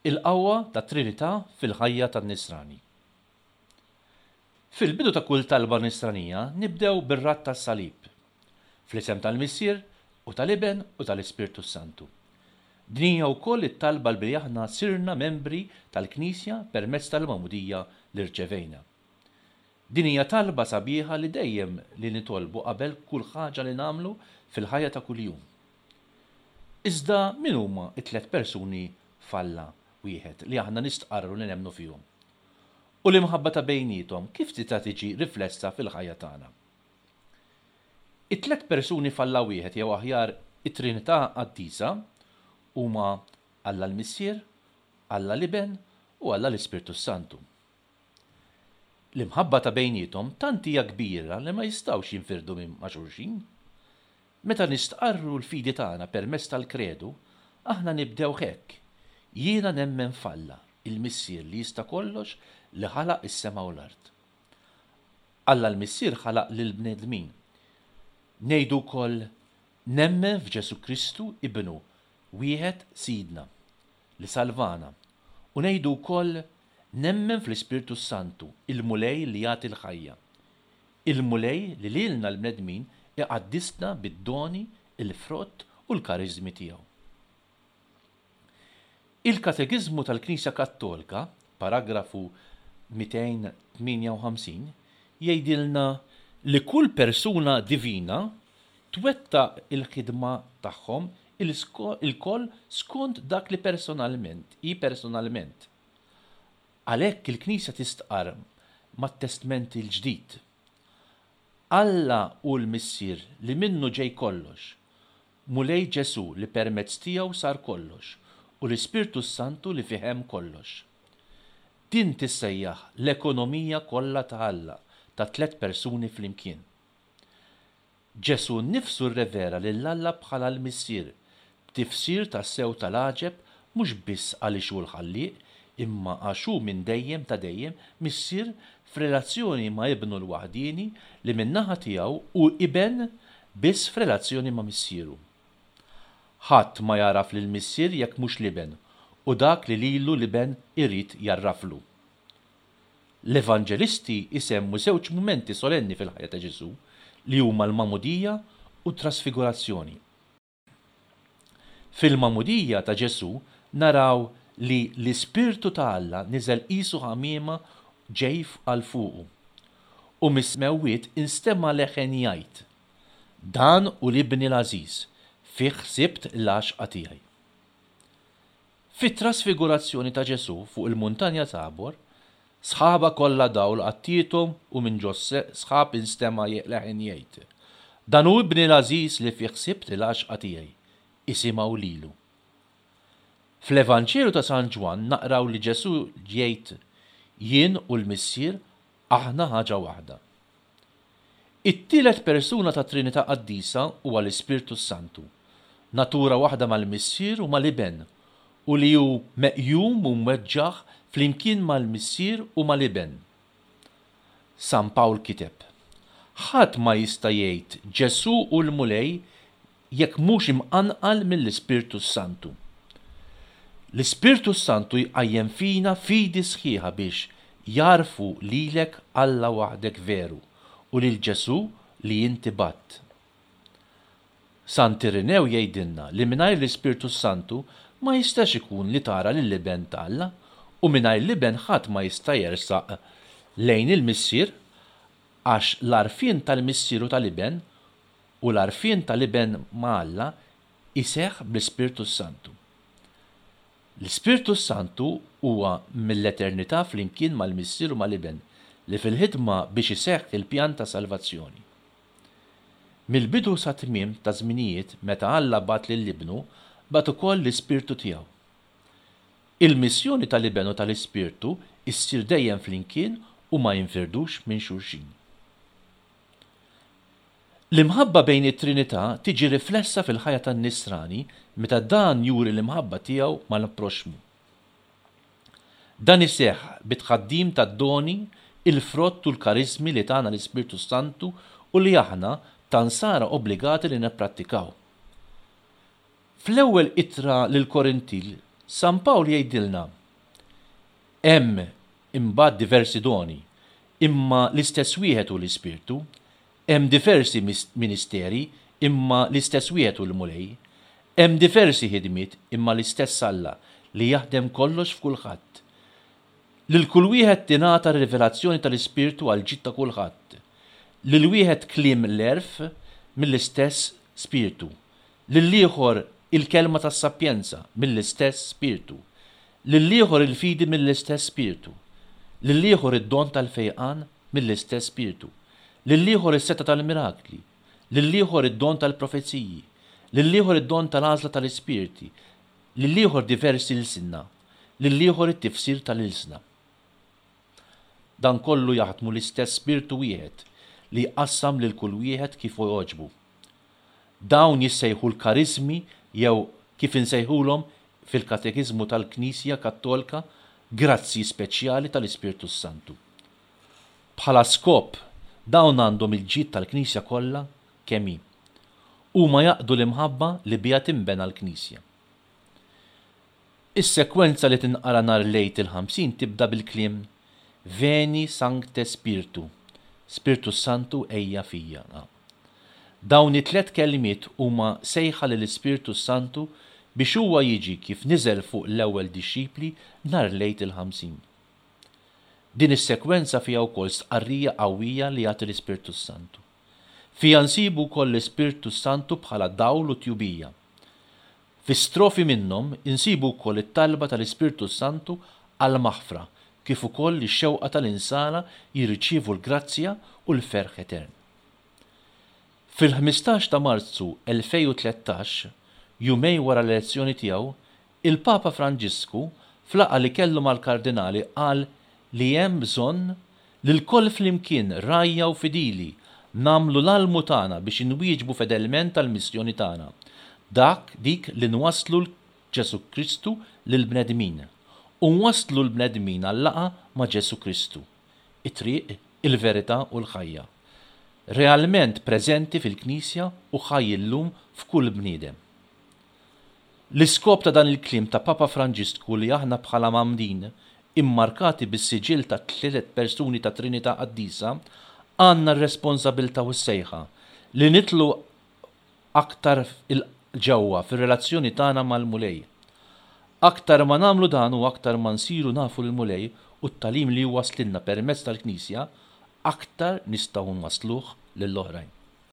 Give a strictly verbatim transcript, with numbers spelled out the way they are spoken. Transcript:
Il-qawwa tat-Trinità fil-ħajja tan-Nisrani. Fil-bidu ta' kull talba Nisranija nibdew bir-radd tas-salib. Fl-isem tal-Missier u tal-Iben u tal-Ispirtu Santu. Din hija wkoll it-talba li aħna sirna membri tal-Knisja permezz tal-magħmudija li rċevejna. Din hija talba sabiħa li dejjem li nitolbu qabel kull ħaġa li nagħmlu fil-ħajja ta' kuljum. Iżda min huma t-tliet persuni f'Alla wieħed li aħna nistqarru li nemmnu fihom? U l-imħabba ta' bejniethom kif tista' tiġi riflessa fil-ħajja tagħna? It-tliet persuni f'Alla wieħed jew aħjar it-Trinità Qaddisa huma Alla l-Missier, Alla l-Iben u Alla l-Ispirtu Santu. L-imħabba ta' bejniethom tant hija kbira li ma jistgħux jinfirdu minn ma' xulxin. Meta nistqarru l-fidi tagħna permezz tal-kredu, aħna nibdew hekk. Jiena nemmen f'Alla, il-Missier li jista' kollox li ħalaq is-sema u l-art. Alla l-Missier ħalaq lill-bnedmin. Ngħidu wkoll nemmen f'Ġesù Kristu ibnu, wieħed Sidna, li salvana. U ngħidu wkoll nemmen fl-Ispirtu Santu, il-Mulej li jagħti l-ħajja. Il-Mulej li lilna l-bnedmin iqaddisna bid-doni, il-frott u l-kariżmi tiegħu. Il-Katekiżmu tal-Knisja Kattolika, paragrafu mitejn tmienja u ħamsin, jgħidilna li kull persuna divina twettaq il-ħidma tagħhom ilkoll skont dak li personalment, hi personalment. Għalhekk il-Knisja tistqarr mat-Testment il-Ġdid. Alla hu l-Missier li minnu ġej kollox, Mulej Ġesù li permezz tiegħu sar kollox, u l-Ispirtu Santu li fih hemm kollox. Din tissejjaħ l-ekonomija kollha ta' Alla ta' tliet persuni flimkien. Ġesù nnifsu rrevera lil Alla bħala l-Missier, b'tifsir tassew tal-għaġeb mhux biss għaliex hu l-Ħallieq, imma għax hu minn dejjem ta' dejjem Missier f'relazzjoni ma' ibnu l-waħdieni li min-naħa tiegħu hu iben biss f'relazzjoni ma' missieru. Ħadd ma jaraf lil Missier jekk mhux l-iben, u dak li lilu l-iben irid jarraflu. L-Evanġelisti isemmu żewġ mumenti solenni fil-ħajja ta' Ġesù li huma l-magħmudija u t-trasfigurazzjoni. Fil-magħmudija ta' Ġesù naraw li l-Ispirtu ta' Alla niżel qisu ħamiema ġej għal fuqu. U mis-smewwiet instema' leħen jgħid, Dan hu l-Ibni l-għażiż, fih sibt l-għaxqa tiegħi. Fit-trasfigurazzjoni ta' Ġesù fuq il-muntanja Tabor, sħaba kollha dawl għattiethom u minn ġo sħab instema' leħen jgħid, Dan hu Ibni l-għażiż li fih sibt l-għaxqa tiegħi, isimgħu lilu. Fl-Evanġelju ta' San Ġwann naqraw li Ġesù jgħid, Jien u l-Missier aħna ħaġa waħda. It-tielet persuna ta' Trinità Qaddisa huwa l-Ispirtu Santu, natura waħda mal-Missier u mal-Iben, u li hu meqjum u mweġġaħ flimkien mal-Missier u mal-Iben. San Pawl kiteb, Ħadd ma jista' jgħid Ġesù hu l-Mulej jekk mhux imqanqal mill-Ispirtu Santu. L-Ispirtu Santu jqajjem fina fidi sħiħa biex jarfu lilek Alla waħdek veru u lil Ġesù li inti bgħatt. Sant Irinew jgħidilna li mingħajr l-Ispirtu Santu ma jistax ikun li tara lill-Iben ta' Alla u mingħajr l-Iben ħadd ma jista' jersaq lejn il-Missier għax l-għarfien tal-Missier u tal-Iben u l-għarfien tal-Iben ma' Alla iseħħ bl-Ispirtu Santu. L-Ispirtu Santu huwa mill-eternità flimkien mal-Missier u mal-Iben li fil-ħidma biex iseħħ il-pjan ta' salvazzjoni. Mill-bidu sa tmiem ta' żminijiet meta Alla bagħat lil Ibnu, bagħat ukoll l-Ispirtu tiegħu. Il-missjoni tal-Iben u tal-Ispirtu issir dejjem flimkien u ma jinfirdux minn xulxin. L-imħabba bejn it-Trinità tiġi riflessa fil-ħajja tan-Nisrani meta dan juri l-imħabba tiegħu mal-proxxmu. Dan iseħħ bit-tħaddim tad-doni, il-frott u l-kariżmi li tana l-Ispirtu Santu u li aħna ta' nsara obbligati li nipprattikaw. Fl-ewwel ittra lil Korintil, San Pawl jgħidilna, Hemm imbagħad diversi doni, imma l-istess wieħed hu l-Ispirtu. Hemm diversi ministeri, imma l-istess wieħed hu l-Mulej. Hemm diversi ħidmiet, imma l-istess Alla li jaħdem kollox f'kulħadd. Lil kull wieħed tingħata rivelazzjoni tal-Ispirtu għal ġid ta' kulħadd. Lil wieħed kliem l-għerf mill-istess Spirtu. Lil ieħor il-kelma tas-sapjenza mill-istess Spirtu. Lil ieħor il-fidi mill-istess Spirtu. Lil ieħor id-don tal-fejqan mill-istess Spirtu. Lil ieħor is-setgħa tal-mirakli. Lil ieħor id-don tal-profeziji. Lil ieħor id-don tal-għażla tal-ispirti. Lil ieħor diversi lsina. Lil ieħor it-tifsir tal-ilsna. Dan kollu jaħdmu l-istess Spirtu wieħed li jqassam lil kull wieħed kif jogħġbu. Dawn jissejħu l-kariżmi jew kif insejħulhom fil-Katekiżmu tal-Knisja Kattolika grazzji speċjali tal-Ispirtu Santu. Bħala skop dawn għandhom il-ġid tal-Knisja kollha kemm hi. Huma jaqdu l-imħabba li biha tinbena l-Knisja. Is-sekwenza li tinqara nhar l-Għid il-Ħamsin tibda bil-kliem Veni Sancte Spiritu, Spirtu Santu ejja fija. Dawn it-tliet kelmiet huma sejħa lill-Ispirtu Santu biex huwa jiġi kif niżel fuq l-ewwel dixxipli nhar l-Għid il-Ħamsin. Din is-sekwenza fiha wkoll stqarrija qawwija li jagħti l-Ispirtu Santu. Fiha nsibu wkoll l-Ispirtu Santu bħala dawl u tjubija. Fi strofi minnhom insibu wkoll it-talba tal-Ispirtu Santu għall-maħfra kif ukoll ix-xewqa tal-insara jirċievu l-grazzja u l-ferħ etern. Fil-ħmistax ta' Marzu elfejn u tlettax, jumejn wara l-elezzjoni tiegħu, il-Papa Franġisku f'laqgħa li kellu mal-kardinali qal li hemm bżonn li lkoll flimkien rgħajja u fidili nagħmlu l-almu tagħna biex inwieġbu fedelment tal-missjoni tagħna, dak dik li nwasslu Ġesu Kristu lill-bnedmin u nwasslu l-bnedmin għal-laqgħa ma' Ġesu Kristu, it-triq, il-verità u l-ħajja. Realment preżenti fil-Knisja u ħaj illum f'kull bniedem. L-iskop ta' dan il-kliem ta' Papa Franġisku li aħna bħala mgħammdin immarkati bis-siġill ta' tliet persuni ta' Trinità Qaddisa għandna r-responsabilità u s-sejħa li nidħlu aktar il-ġewwa fir-relazzjoni tagħna mal-Mulej. Aktar ma nagħmlu dan u aktar ma nsiru nafu l-Mulej u t-tagħlim li waslilna permezz tal-Knisja, aktar nistgħu nwassluh lill-oħrajn.